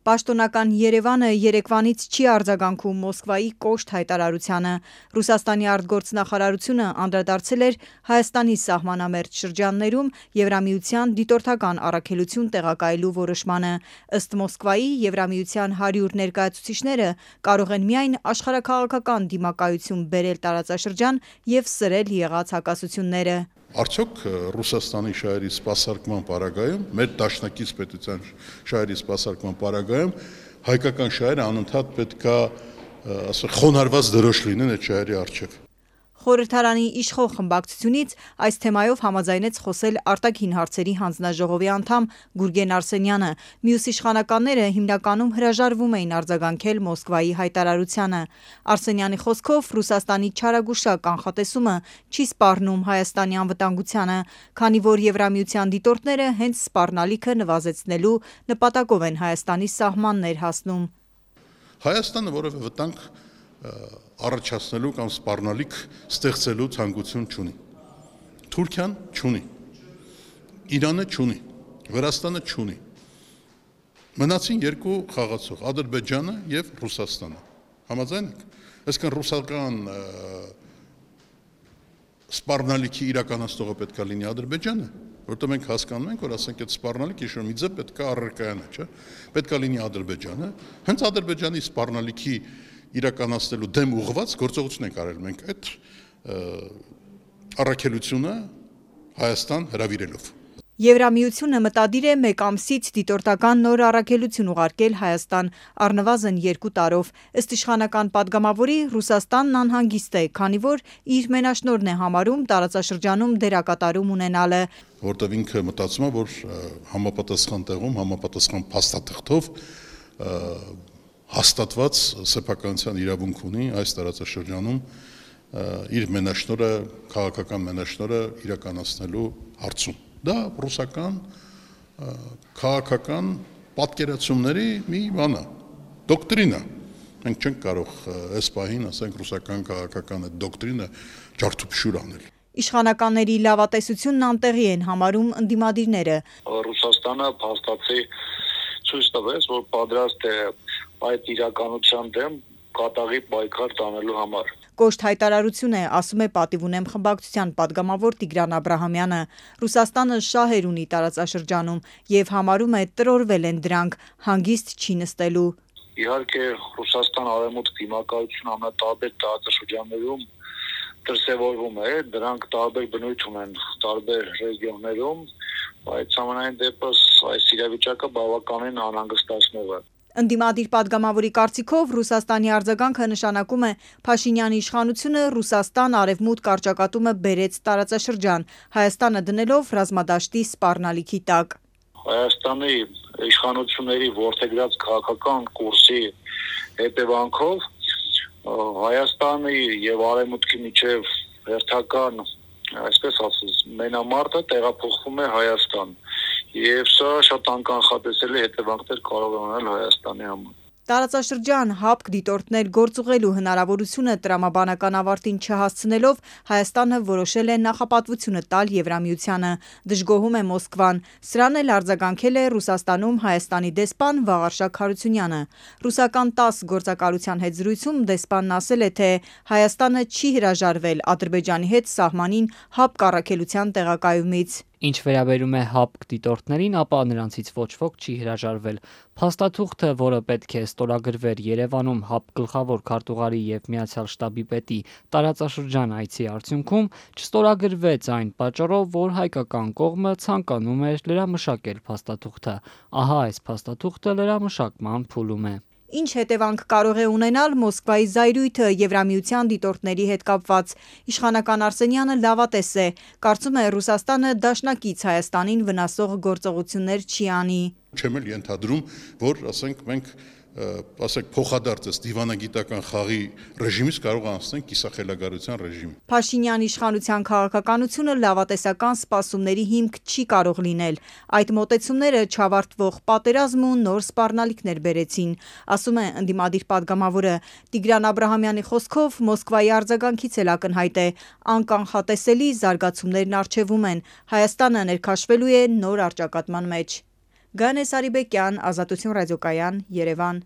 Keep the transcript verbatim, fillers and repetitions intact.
Պաշտոնական Երևանը երեկվանից չի արձագանքում Մոսկվայի կոշտ հայտարարությանը։ Ռուսաստանի արտգործնախարարությունը անդրադարձել էր Հայաստանի սահմանամերձ շրջաններում Եվրամիության դիտորդական առաքելություն տեղակայելու որոշմանը։ Ըստ Մոսկվայի, Եվրամիության հարյուր ներկայացուցիչները կարող են միայն աշխարհաքաղաքական դիմակայություն բերել տարածաշրջան և սրել եղած հակասությունները։ Արդյոք Ռուսաստանի շահերի սպասարկման պարագայում, մեր դաշնակից պետության շահերի սպասարկման պարագայում հայկական շահերը անընդհատ պետք է խոնարհված դրոշ լինեն այդ շահերի առջև։ Խորհրդարանի իշխող խմբակցությունից այս թեմայով համաձայնեց խոսել արտաքին հարցերի հանձնաժողովի անդամ Գուրգեն Արսենյանը։ Մյուս իշխանականները հիմնականում հրաժարվում էին արձագանքել Մոսկվայի հայտարարությանը։ Արսենյանի խոսքով Ռուսաստանի չարագուշակ կանխատեսումը չի սպառնում Հայաստանի անվտանգությանը, քանի որ Եվրամիության դիտորդները հենց սպառնալիքը նվազեցնելու նպատակով են Հայաստանի սահմաններ հասնում։ Հայաստանը որևէ վտանգ առաջացնելու կամ սպառնալիք ստեղծելու ցանկություն չունի։ Թուրքիան չունի, Իրանը չունի, Վրաստանը չունի։ Մնացին երկու խաղացող՝ Ադրբեջանը և Ռուսաստանը։ Համաձայն եք։ Այսինքն ռուսական սպառնալիքի իրականացնողը պետք է լինի Ադրբեջանը, որտեղ մենք հասկանում ենք, որ ասենք այդ սպառնալիքը ինչ-որ մի ձև պետք է առարկայանը, չէ՞։ Պետք է լինի Ադրբեջանը, հենց Ադրբեջանի սպառնալիքի իրականացնելու դեմ ուղղված գործողություն ենք արել մենք այդ առաքելությունը Հայաստան հրավիրելով։ Եվրամիությունը մտադիր է մեկ ամսից դիտորդական նոր առաքելություն ուղարկել Հայաստան, առնվազն երկու տարով։ Ըստ իշխանական պատգամավորի, Ռուսաստանն անհանգիստ է, քանի որ իր մենաշնորհն է համարում տարածաշրջանում դերակատարում ունենալը։ Որտեղ ինքը մտածում է, որ համապատասխան տեղում, համապատասխան փաստաթղթով հաստատված սեփականության իրավունք ունի այս տարածաշրջանում իր մենաշնորհը, քաղաքական մենաշնորհը իրականացնելու հարցում։ Դա ռուսական քաղաքական պատկերացումների մի բան է, դոկտրինա։ Մենք չենք կարող այս պահին, ասենք, ռուսական քաղաքական այդ դոկտրինը ջարդուփշուր անել։ Իշխանականների լավատեսությունն անտեղի են համարում ընդդիմադիրները։ Ռուսաստանը փաստացի ցույց տվեց, որ պատրաստ է այդ իրականության դեմ կատաղի պայքար տանելու համար։ Կոշտ հայտարարություն է, ասում է «Պատիվ ունեմ» խմբակցության պատգամավոր Տիգրան Աբրահամյանը։ Ռուսաստանը շահեր ունի տարածաշրջանում և համարում է տրորվել են դրանք, հանգիստ չի նստելու։ Իհարկե Ռուսաստան-Արևմուտք դիմակայությունը ամենատարբեր տարածաշրջաններում դրսևորվում է, դրանք տարբեր բնույթ ունեն տարբեր ռեգիոններում, բայց համենայն դեպս այս իրավիճակը բավականին անհանգստացնող է։ Ընդդիմադիր պատգամավորի կարծիքով Ռուսաստանի արձագանքը նշանակում է Փաշինյանի իշխանությունը Ռուսաստան-Արևմուտք առճակատումը բերեց տարածաշրջան, Հայաստանը դնելով ռազմադաշտի սպառնալիքի տակ։ Հայաստանի իշխանությունների որդեգրած քաղաքական կուրսի հետևանքով Հայաստանի և Արևմուտքի միջև հերթական, այսպես ասած, մենամարտը տեղափոխվում է Հայաստան, և սա շատ անկանխատեսելի հետևանքներ կարող է ունենալ Հայաստանի համար։ Տարածաշրջան հապկ դիտորդներ գործուղելու հնարավորությունը տրամաբանական ավարտին չհասցնելով Հայաստանը որոշել է նախապատվությունը տալ Եվրամիությանը, դժգոհում է Մոսկվան։ Սրան էլ արձագանքել է Ռուսաստանում Հայաստանի դեսպան Վաղարշակ Հարությունյանը։ Ռուսական տաս գործակալության հետ զրույցում դեսպանն ասել է, թե Հայաստանը չի հրաժարվել Ադրբեջանի հետ սահմանին հապկ առաքելության տեղակայումից։ Ինչ վերաբերում է հապկ դիտորդներին, ապա նրանցից ոչ ոք չի հրաժարվել։ Փաստաթուղթը, որը պետք է ստորագրվեր Երևանում հապկ գլխավոր քարտուղարի և Միացյալ շտաբի պետի տարածաշրջան այցի արդյունքում, չստորագրվեց այն պատճառով, որ հայկական կողմը ցանկանում էր լրամշակել փաստաթուղթը։ Ահա այս փաստաթուղթը լրամշակման փուլում է։ Ինչ հետևանք կարող է ունենալ Մոսկվայի զայրույթը Եվրամիության դիտորդների հետ կապված։ Իշխանական Արսենյանը լավատես է, կարծում է Ռուսաստանը դաշնակից Հայաստանին վնասող գործողություններ չի անի։ Չեմ էլ ենթադրում, որ ասենք մենք ասենք փոխադարձ դիվանագիտական խաղի ռեժիմից կարող անցնենք կիսախելագարության ռեժիմի։ Փաշինյանի իշխանության քաղաքականությունը լավատեսական սպասումների հիմք չի կարող լինել։ Այդ մոտեցումները չավարտվող պատերազմ ու նոր սպառնալիքներ բերեցին, ասում է ընդդիմադիր պատգամավորը։ Տիգրան Աբրահամյանի խոսքով Մոսկվայի արձագանքից էլ ակնհայտ է, անկանխատեսելի զարգացումներն առջևում են, Հայաստանը ներքաշվելու է նոր առճակատման մեջ։ Գանե Սարիբեկյան, Ազատություն ռադիոկայան, Երևան։